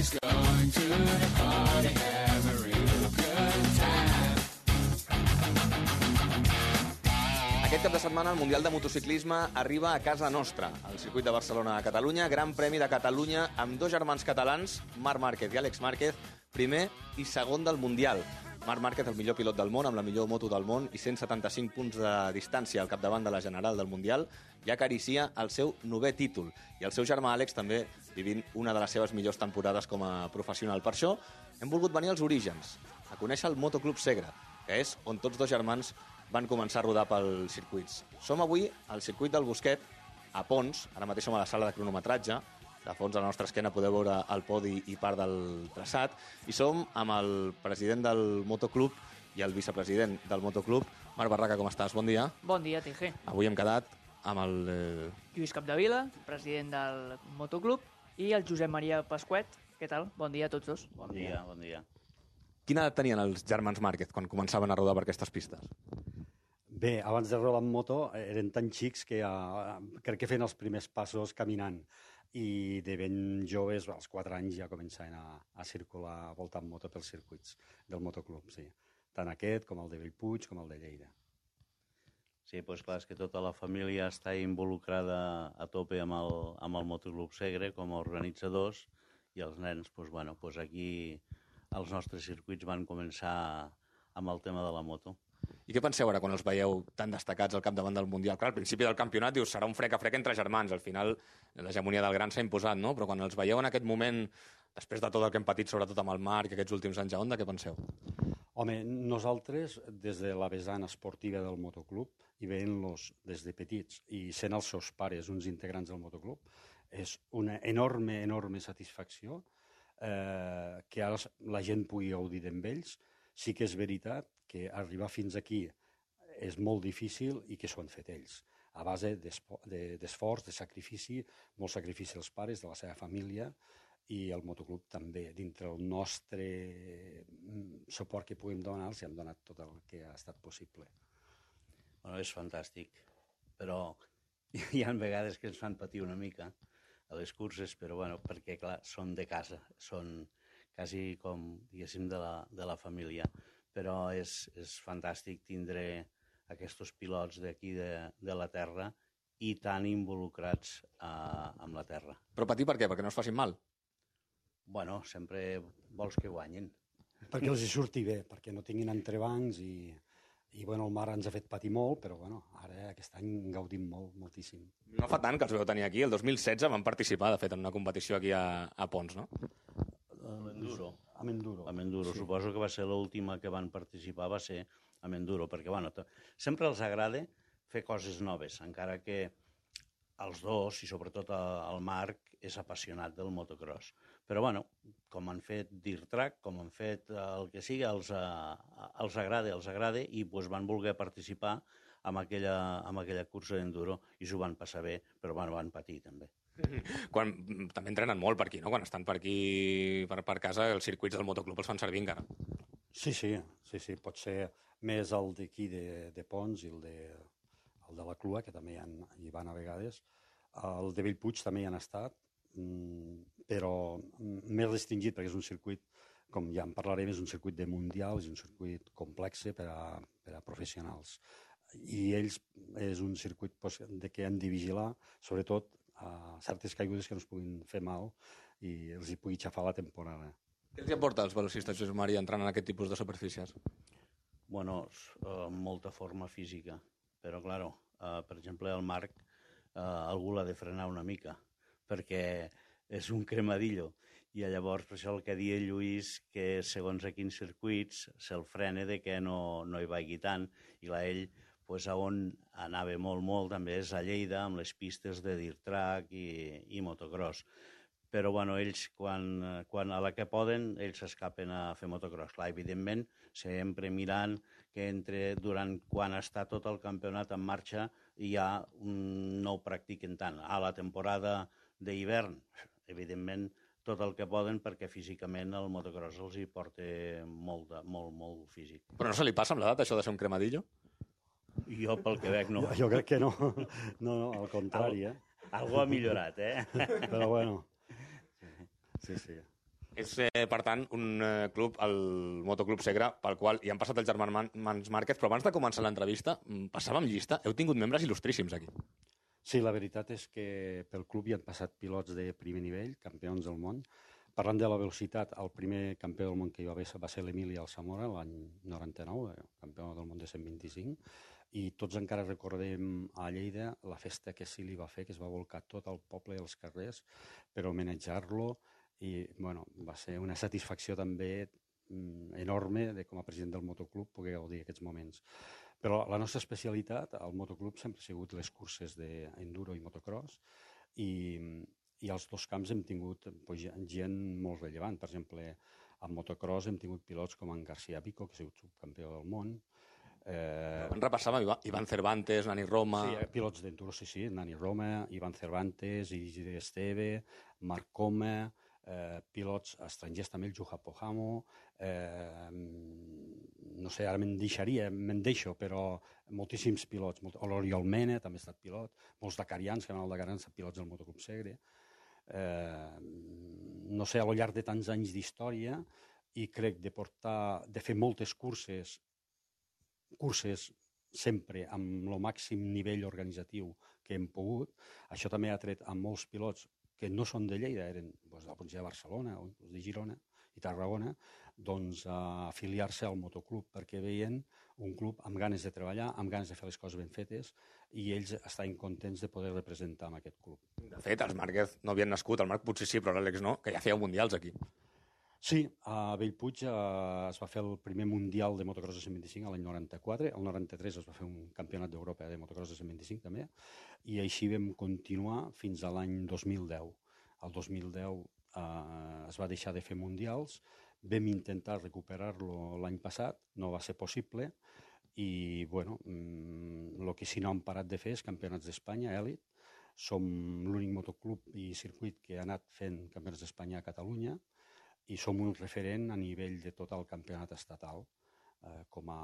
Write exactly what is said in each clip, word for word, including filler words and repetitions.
Everybody's going to the party, have a real good time. Aquest cap de setmana el Mundial de Motociclisme arriba a casa nostra, al circuit de Barcelona a Catalunya, Gran Premi de Catalunya amb dos germans catalans, Marc Márquez i Àlex Márquez, primer i segon del Mundial. Marc Márquez, el millor pilot del món, amb la millor moto del món i cent setanta-cinc punts de distància al capdavant de la general del Mundial, ja acaricia el seu novè títol. I el seu germà Àlex també vivint una de les seves millors temporades com a professional. Per això hem volgut venir als orígens, a conèixer el Motoclub Segre, que és on tots dos germans van començar a rodar pels circuits. Som avui al circuit del Bosquet, a Pons, ara mateix som a la sala de cronometratge, de fons a la nostra esquena podeu veure el podi i part del traçat, i som amb el president del Motoclub i el vicepresident del Motoclub. Marc Barraca, com estàs? Bon dia. Bon dia, T G. Avui hem quedat amb el... Eh... Lluís Capdevila, president del Motoclub, i el Josep Maria Pasquet. Què tal? Bon dia a tots dos. Bon dia, bon dia. Quina edat tenien els germans Márquez quan començaven a rodar per aquestes pistes? Bé, abans de rodar en moto eren tan xics que ja, crec que feien els primers passos caminant i de ben joves, als quatre anys, ja començaven a, a circular, a voltar en moto pels circuits del motoclub, sí. Tant aquest com el de Bellpuig com el de Lleida. Sí, doncs clar, és que tota la família està involucrada a tope amb el, amb el Motoclub Segre com a organitzadors i els nens, doncs, bueno, doncs aquí els nostres circuits van començar amb el tema de la moto. I què penseu ara quan els veieu tan destacats al capdavant del Mundial? Clar, al principi del campionat dius serà un frec a frec entre germans, al final l'hegemonia del gran s'ha imposat, no? Però quan els veieu en aquest moment, després de tot el que hem patit, sobretot amb el Marc, aquests últims anys a Honda, què penseu? Home, nosaltres, des de la vessant esportiva del motoclub, i veient-los des de petits i sent els seus pares uns integrants del motoclub, és una enorme, enorme satisfacció eh, que ara la gent pugui gaudir d'ells ells. Sí que és veritat que arribar fins aquí és molt difícil i que s'ho han fet ells, a base d'esforç, de sacrifici, molt sacrifici dels pares, de la seva família, i el motoclub també. Dintre el nostre suport que puguem donar, els hem donat tot el que ha estat possible. Bueno, és fantàstic, però hi ha vegades que ens fan patir una mica a les curses, però bueno, perquè clar, són de casa, són quasi com, diguéssim, de la, de la família. Però és, és fantàstic tindre aquests pilots d'aquí de, de la terra i tan involucrats uh, amb la terra. Però patir per què? Perquè no es facin mal? Bueno, sempre vols que guanyin. Perquè els hi surti bé, perquè no tinguin entrebancs i, i bueno, el mar ens ha fet patir molt, però bueno, ara aquest any gaudim molt, moltíssim. No fa tant que els veu tenir aquí, el dos mil setze van participar, de fet, en una competició aquí a, a Pons, no? Amb enduro. Amb enduro. Amb enduro. Sí. Suposo que va ser l'última que van participar, va ser amb enduro, perquè bueno, sempre els agrada fer coses noves, encara que els dos, i sobretot el Marc, és apassionat del motocross. Però bueno, com han fet dirt track, com han fet el que sigui, els, els agrada, els agrada, i doncs van voler participar en aquella, en aquella cursa d'enduro, i s'ho van passar bé, però bueno, van patir també. Quan, també entrenen molt per aquí, no? Quan estan per aquí, per, per casa, els circuits del motoclub els fan servir encara. Sí, sí, sí, sí. Pot ser més el d'aquí de, de Pons i el de, el de la Clua, que també hi, han, hi van a vegades. El de Bellpuig també hi han estat, però més restringit, perquè és un circuit, com ja en parlarem, és un circuit de mundial, és un circuit complex per a, per a professionals. I ells és un circuit pues, de què han de vigilar, sobretot a certes caigudes que no es puguin fer mal i els hi pugui xafar la temporada. Què els aporta als velocistes, Josep Maria, entrant en aquest tipus de superfícies? Bueno, uh, molta forma física, però, claro, uh, per exemple, el Marc, uh, algú l'ha de frenar una mica, perquè és un cremadillo, i llavors, per això el que deia Lluís, que segons a quins circuits se'l frena de que no, no hi vagi tant, i clar, ell, pues, a on anava molt, molt, també és a Lleida, amb les pistes de dirt track i, i motocross. Però, bueno, ells, quan, quan a la que poden, ells s'escapen a fer motocross. Clar, evidentment, sempre mirant que entre, durant quan està tot el campionat en marxa, ja no ho practiquen tant. A la temporada d'hivern, evidentment, tot el que poden, perquè físicament el motocross els hi porta molt, molt, molt físic. Però no se li passa amb l'edat, això de ser un cremadillo? Jo, pel que veig, no. Jo, jo crec que no. No, no, al contrari, eh? Algú ha millorat, eh? Però bueno. Sí, sí. És, eh, per tant, un eh, club, el Motoclub Segre, pel qual hi han passat els germans Márquez, però abans de començar l'entrevista, mm, passàvem llista, heu tingut membres il·lustríssims aquí. Sí, la veritat és que pel club hi han passat pilots de primer nivell, campions del món. Parlant de la velocitat, el primer campió del món que hi va haver va ser l'Emili Alsamora, l'any noranta-nou, eh, campió del món de cent vint-i-cinc, i tots encara recordem a Lleida la festa que sí li va fer, que es va volcar tot el poble dels carrers per homenatjar-lo, i bueno, va ser una satisfacció també mm, enorme de com a president del motoclub poder gaudir aquests moments. Però la nostra especialitat al motoclub sempre ha sigut les curses d'enduro i motocross, i, i als dos camps hem tingut pues, gent molt rellevant. Per exemple, al motocross hem tingut pilots com en García Pico, que ha sigut subcampió del món. Eh... En repassàvem Ivan Cervantes, Nani Roma... Sí, pilots d'enduro, sí, sí, Nani Roma, Ivan Cervantes, Isidre Esteve, Marc Coma, eh, pilots estrangers també, el Juha Pojamo, eh, no sé, ara me'n deixaria, me'n deixo, però moltíssims pilots, molt, l'Oriol Mena també ha estat pilot, molts dacarians, que van al Dakar han estat pilots del Motoclub Segre. Eh, no sé, a lo llarg de tants anys d'història, i crec de portar, de fer moltes curses, curses sempre amb el màxim nivell organitzatiu que hem pogut. Això també ha tret a molts pilots que no són de Lleida, eren doncs, de la província de Barcelona o de Girona i Tarragona, doncs a afiliar-se al motoclub perquè veien un club amb ganes de treballar, amb ganes de fer les coses ben fetes, i ells estaven contents de poder representar amb aquest club. De fet, els Márquez no havien nascut, el Marc potser sí, però l'Àlex no, que ja feia mundials aquí. Sí, a Bellpuig eh, es va fer el primer Mundial de motocross de cent vint-i-cinc l'any noranta-quatre, el noranta-tres es va fer un campionat d'Europa de motocross de cent vint-i-cinc també, i així vam continuar fins a l'any dos mil deu. El dos mil deu eh, es va deixar de fer mundials, vam intentar recuperar-lo l'any passat, no va ser possible, i bueno, el que sí no han parat de fer és campionats d'Espanya, èlit. Som l'únic motoclub i circuit que ha anat fent campionats d'Espanya a Catalunya, i som un referent a nivell de tot el campionat estatal eh, com a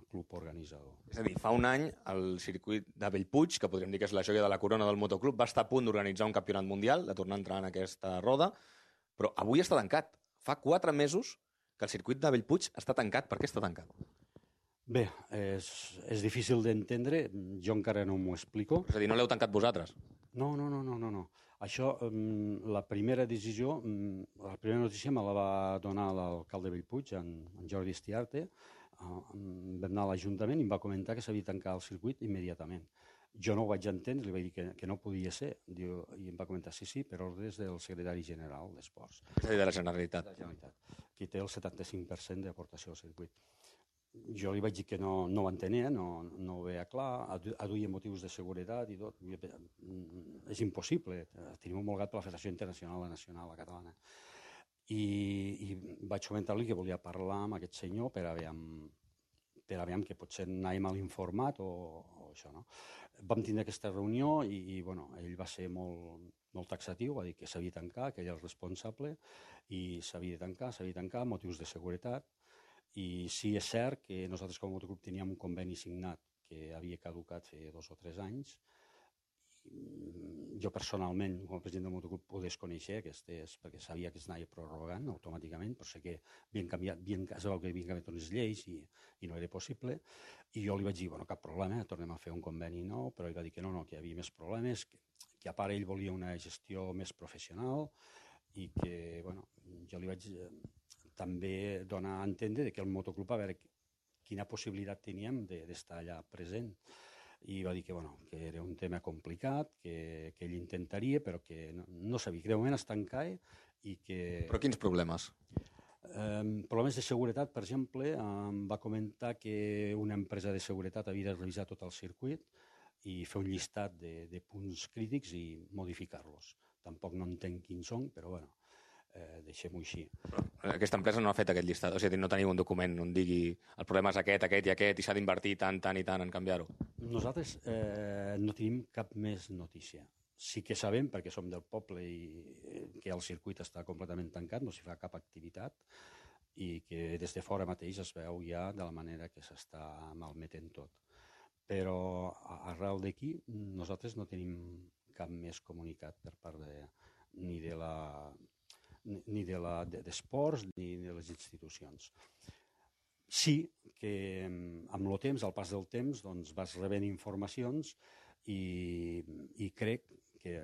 club organitzador. És a dir, fa un any el circuit de Bellpuig, que podríem dir que és la joia de la corona del motoclub, va estar a punt d'organitzar un campionat mundial, de tornar a entrar en aquesta roda, però avui està tancat. Fa quatre mesos que el circuit de Bellpuig està tancat. Per què està tancat? Bé, és, és difícil d'entendre, jo encara no m'ho explico. És a dir, no l'heu tancat vosaltres? No, no, no, no, no. no. Això, um, la primera decisió, um, la primera notícia me la va donar l'alcalde de Bellpuig, en, en Jordi Estiarte. Uh, um, vam anar a l'Ajuntament i em va comentar que s'havia tancat el circuit immediatament. Jo no ho vaig entendre, li vaig dir que, que no podia ser. Diu, i em va comentar, sí, sí, per ordres del secretari general d'Esports. És a dir, de la Generalitat. De la Generalitat, que té el setanta-cinc per cent d'aportació al circuit. Jo li vaig dir que no, no ho entenia, no, no ho veia clar, aduïa motius de seguretat i tot. És impossible, tenim homologat per la Federació Internacional, la Nacional, la Catalana. I, i vaig comentar-li que volia parlar amb aquest senyor per a veure, per a veure que potser anàvem mal informat o, o això, no? Vam tindre aquesta reunió i, i bueno, ell va ser molt, molt taxatiu, va dir que s'havia de tancar, que ell era el responsable, i s'havia de tancar, s'havia de tancar, motius de seguretat. I sí, és cert que nosaltres com a motoclub teníem un conveni signat que havia caducat fa dos o tres anys. Jo personalment, com a president del motoclub, ho desconeixia, aquestes, perquè sabia que es anava prorrogant automàticament, però sé que havien canviat, havien, es veu que havien canviat unes lleis i, i no era possible. I jo li vaig dir, bueno, cap problema, tornem a fer un conveni nou, però ell va dir que no, no, que hi havia més problemes, que, que a part ell volia una gestió més professional i que, bueno, jo li vaig també donar a entendre que el motoclub a veure quina possibilitat teníem d'estar allà present. I va dir que, bueno, que era un tema complicat, que, que ell intentaria, però que no, no sabia, que de moment es tancava i que... Però quins problemes? Eh, problemes de seguretat, per exemple, em va comentar que una empresa de seguretat havia de revisar tot el circuit i fer un llistat de, de punts crítics i modificar-los. Tampoc no entenc quins són, però bueno, eh, deixem-ho així. Aquesta empresa no ha fet aquest llistat, o sigui, no teniu un document on digui el problema és aquest, aquest i aquest i s'ha d'invertir tant, tant i tant en canviar-ho. Nosaltres eh, no tenim cap més notícia. Sí que sabem, perquè som del poble, i que el circuit està completament tancat, no s'hi fa cap activitat, i que des de fora mateix es veu ja de la manera que s'està malmetent tot. Però arrel d'aquí nosaltres no tenim cap més comunicat per part de, ni de la ni de la, de, d'esports ni de les institucions. Sí que amb el temps, al pas del temps, doncs vas rebent informacions i, i crec que,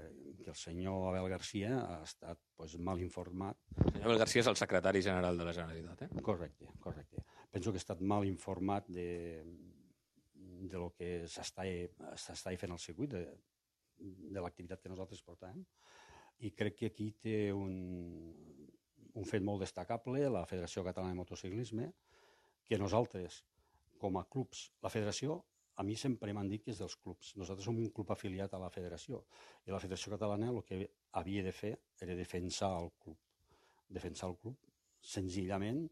que el senyor Abel Garcia ha estat pues, mal informat. El senyor Abel Garcia és el secretari general de la Generalitat, eh? Correcte, correcte. Penso que ha estat mal informat de, de lo que s'està fent al circuit, de, de l'activitat que nosaltres portàvem, i crec que aquí té un, un fet molt destacable, la Federació Catalana de Motociclisme, que nosaltres, com a clubs, la federació, a mi sempre m'han dit que és dels clubs. Nosaltres som un club afiliat a la federació, i la Federació Catalana el que havia de fer era defensar el club. Defensar el club, senzillament,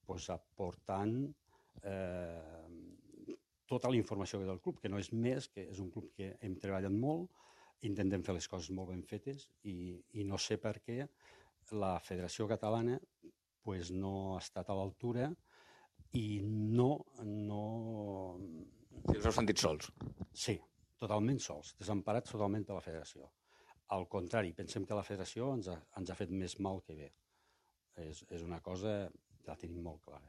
pues, aportant eh, tota la informació del club, que no és més, que és un club que hem treballat molt, intentem fer les coses molt ben fetes i, i no sé per què la Federació Catalana pues, no ha estat a l'altura i no... no... Si us heu sentit sols. Sí, totalment sols, desemparats totalment de la Federació. Al contrari, pensem que la Federació ens ha, ens ha fet més mal que bé. És, és una cosa que la tenim molt clara.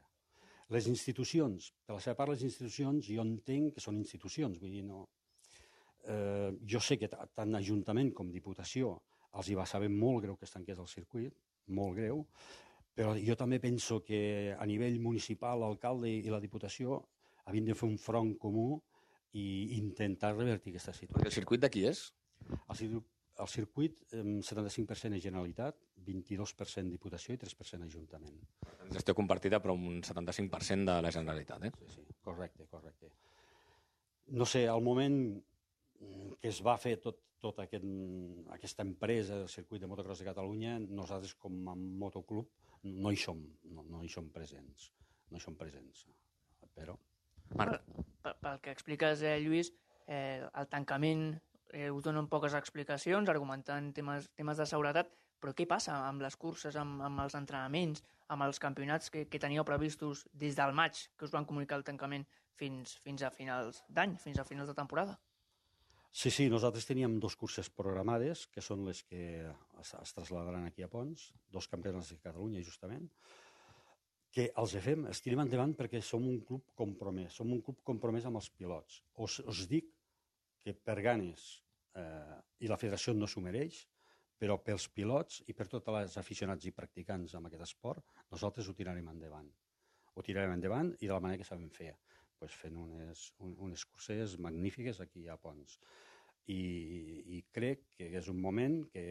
Les institucions, per la seva part, les institucions, jo entenc que són institucions, vull dir, no... Eh, jo sé que tant Ajuntament com Diputació els hi va saber molt greu que es tanqués el circuit, molt greu, però jo també penso que a nivell municipal, l'alcalde i la Diputació havien de fer un front comú i intentar revertir aquesta situació. El circuit de qui és? El, el circuit, setanta-cinc per cent és Generalitat, vint-i-dos per cent Diputació i tres per cent Ajuntament. Gestió compartida, però un setanta-cinc per cent de la Generalitat, eh? Sí, sí, correcte, correcte. No sé, al moment que es va fer tot, tot aquest, aquesta empresa del circuit de motocross de Catalunya, nosaltres com a motoclub no hi som, no, no hi som presents, no hi som presents, però... Marc. Pel, pel que expliques, eh, Lluís, eh, el tancament eh, us donen poques explicacions, argumentant temes, temes de seguretat, però què passa amb les curses, amb, amb els entrenaments, amb els campionats que, que teníeu previstos des del maig, que us van comunicar el tancament, fins, fins a finals d'any, fins a finals de temporada? Sí, sí, nosaltres teníem dos curses programades, que són les que es, es trasladaran aquí a Pons, dos campionats de Catalunya, justament, que els fem, els tirem endavant perquè som un club compromès, som un club compromès amb els pilots. Us, us dic que per ganes, eh, i la federació no s'ho mereix, però pels pilots i per tots els aficionats i practicants amb aquest esport, nosaltres ho tirarem endavant. Ho tirarem endavant i de la manera que sabem fer. Pues fent unes, unes curses magnífiques aquí a Pons. I, i crec que és un moment que,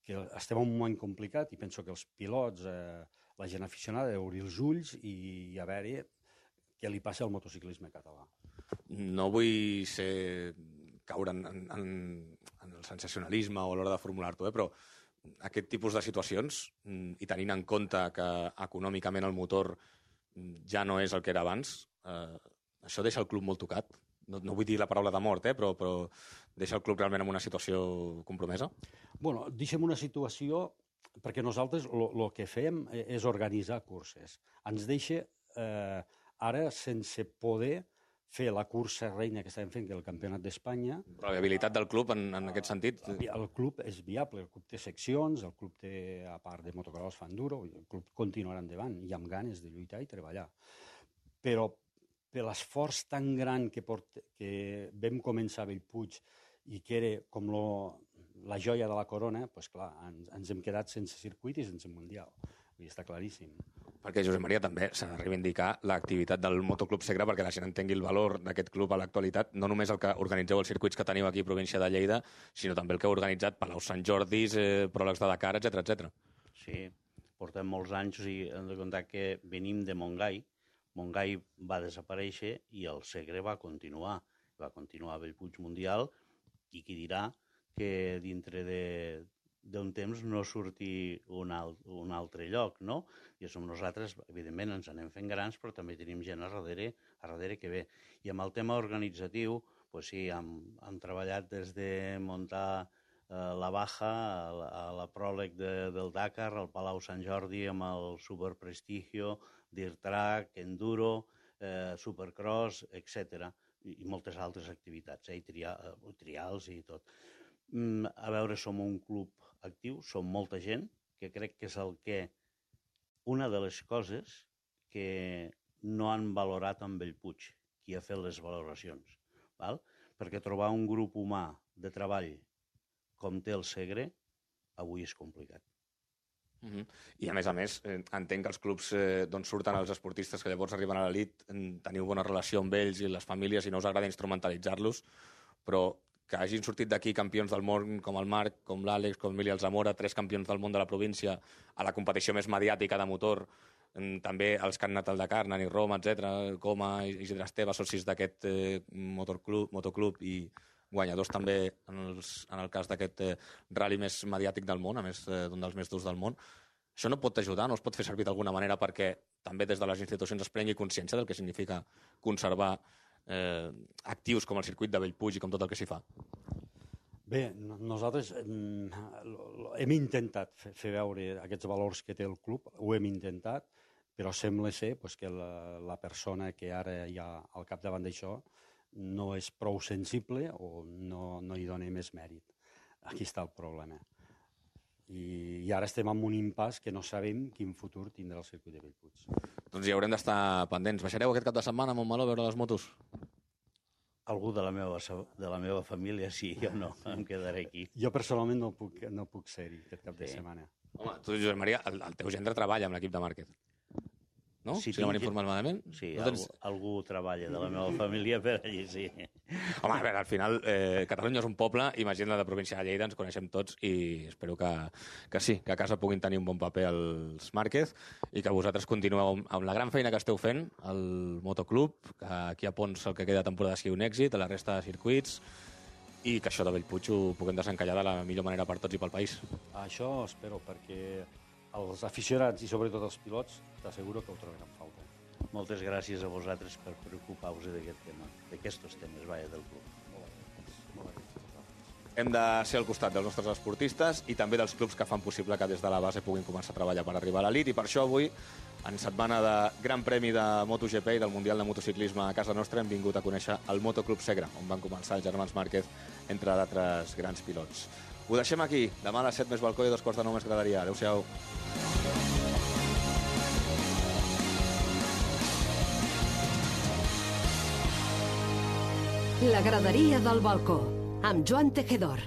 que estem en un moment complicat i penso que els pilots, eh, la gent aficionada, ha d'obrir els ulls i, i a veure què li passa al motociclisme català. No vull ser caure en, en, en el sensacionalisme o a l'hora de formular-t'ho, eh, però aquest tipus de situacions, i tenint en compte que econòmicament el motor ja no és el que era abans, eh, això deixa el club molt tocat. No, no vull dir la paraula de mort, eh, però, però deixa el club realment en una situació compromesa? Bueno, deixem una situació perquè nosaltres el que fem és organitzar curses. Ens deixa eh, ara sense poder fer la cursa reina que estàvem fent, que és el Campionat d'Espanya. Però la viabilitat del club, en, en aquest sentit... El club és viable, el club té seccions, el club té, a part de motocross, fa enduro, el club continuarà endavant i amb ganes de lluitar i treballar. Però per l'esforç tan gran que, port, que vam començar a Bellpuig i que era com lo, la joia de la corona, doncs clar, ens, ens hem quedat sense circuit i sense mundial. I està claríssim. Perquè, Josep Maria, també s'ha de reivindicar l'activitat del Motoclub Segre perquè la gent entengui el valor d'aquest club a l'actualitat, no només el que organitzeu els circuits que teniu aquí a província de Lleida, sinó també el que heu organitzat Palau Sant Jordis, eh, pròlegs de Dakar, etcètera, etcètera. Sí, portem molts anys, o sigui, hem de comptar que venim de Montgai. Montgai va desaparèixer i el Segre va continuar. Va continuar a Bellpuig Mundial i qui dirà que dintre de d'un temps no surti un, alt, un altre lloc, no? I som nosaltres, evidentment, ens anem fent grans, però també tenim gent a darrere, a darrere que ve. I amb el tema organitzatiu, pues sí, hem, hem treballat des de muntar eh, la Baja, a la, a la pròleg de, del Dakar, al Palau Sant Jordi, amb el Super Prestigio, Dirt Track, Enduro, eh, Supercross, etcètera, i, i moltes altres activitats, eh, i tria, trials i tot. Mm, a veure, som un club actiu, som molta gent, que crec que és el que... Una de les coses que no han valorat amb Bellpuig, qui ha fet les valoracions. Val? Perquè trobar un grup humà de treball com té el Segre, avui és complicat. Uh -huh. I a més a més, eh, entenc que els clubs eh, d'on surten els esportistes que llavors arriben a l'elit, teniu bona relació amb ells i les famílies i no us agrada instrumentalitzar-los, però que hagin sortit d'aquí campions del món com el Marc, com l'Àlex, com l'Emili Alzamora, tres campions del món de la província a la competició més mediàtica de motor, també els que han anat al Dakar, Nani Roma, etcètera, Coma, Isidre Esteve, socis d'aquest eh, motorclub, motoclub i guanyadors també en, els, en el cas d'aquest eh, rally més mediàtic del món, a més eh, d'un dels més durs del món. Això no pot ajudar, no es pot fer servir d'alguna manera perquè també des de les institucions es prengui consciència del que significa conservar eh, actius com el circuit de Bellpuig i com tot el que s'hi fa? Bé, nosaltres hem intentat fer, fer veure aquests valors que té el club, ho hem intentat, però sembla ser pues, que la, la persona que ara hi ha al capdavant d'això no és prou sensible o no, no hi dona més mèrit. Aquí està el problema. I, i ara estem en un impàs que no sabem quin futur tindrà el circuit de Bellpuig. Doncs hi haurem d'estar pendents. Baixareu aquest cap de setmana a Montmeló a veure les motos? Algú de la meva, de la meva família sí, jo no, em quedaré aquí. Jo personalment no puc, no puc ser-hi aquest cap de Sí. setmana. Home, tu, Josep Maria, el, el teu gendre treballa amb l'equip de Márquez. No? Sí, si no m'han tinc- informat malament? Sí, No algú, tens- algú treballa de la meva família per allí, sí. Home, a veure, al final, eh, Catalunya és un poble i imagina la de província de Lleida, ens coneixem tots i espero que, que sí, que a casa puguin tenir un bon paper els Márquez i que vosaltres continueu amb, amb la gran feina que esteu fent al motoclub, que aquí a Pons el que queda de temporada sigui un èxit, a la resta de circuits, i que això de Bellpuig ho puguem desencallar de la millor manera per tots i pel país. Això espero, perquè els aficionats i sobretot els pilots t'asseguro que ho trobaran a falta. Moltes gràcies a vosaltres per preocupar-vos d'aquest tema, d'aquests temes, vaja, del club. Hem de ser al costat dels nostres esportistes i també dels clubs que fan possible que des de la base puguin començar a treballar per arribar a l'elit, i per això avui, en setmana de Gran Premi de MotoGP i del Mundial de Motociclisme a casa nostra, hem vingut a conèixer el Motoclub Segre, on van començar els germans Márquez, entre d'altres grans pilots. Ho deixem aquí. Demà a les set més balcó i a dos quarts de nou més graderia. Adéu-siau. La graderia del balcó, amb Joan Tejedor.